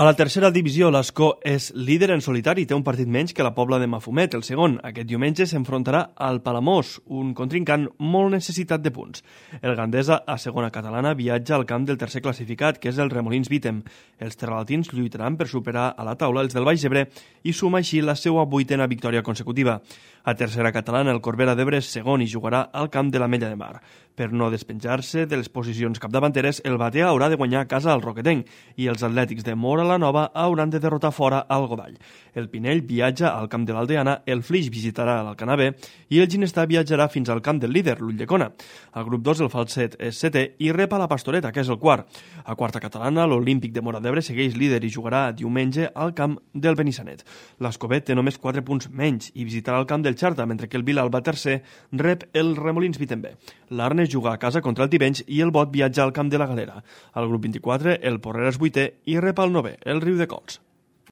A la tercera divisió, l'Escó és líder en solitari i té un partit menys que la Pobla de Mafumet. El segon, aquest diumenge, s'enfrontarà al Palamós, un contrincant molt necessitat de punts. El Gandesa, a segona catalana, viatja al camp del tercer classificat, que és el Remolins Vítem. Els terralatins lluitaran per superar a la taula els del Baix Ebre i suma així la seva 8a victòria consecutiva. A tercera catalana, el Corbera d'Ebre és segon i jugarà al camp de l'Ametlla de Mar. Per no despenjar-se de les posicions capdavanteres, el Batea haurà de guanyar a casa al Roquetenc i els atlètics de Móra la Nova hauran de derrotar fora al Godall. El Pinell viatja al camp de l'Aldeana, el Flix visitarà l'Alcanavè i el Ginestà viatjarà fins al camp del líder, l'Ulldecona. Al grup 2, el Falset és setè i rep a la Pastoreta, que és el quart. A quarta catalana, l'Olímpic de Móra d'Ebre segueix líder i jugarà diumenge al camp del Benissanet. L'Escovet té només 4 punts menys i visitarà el camp del Xarta, mentre que el Vilalba tercer rep el Remolins Vítem B. L'Arnes juga a casa contra el Tivenys i el Bot viatja al camp de la Galera. Al grup 24, el Porrera és 8è i rep el 9è, el Riudecols.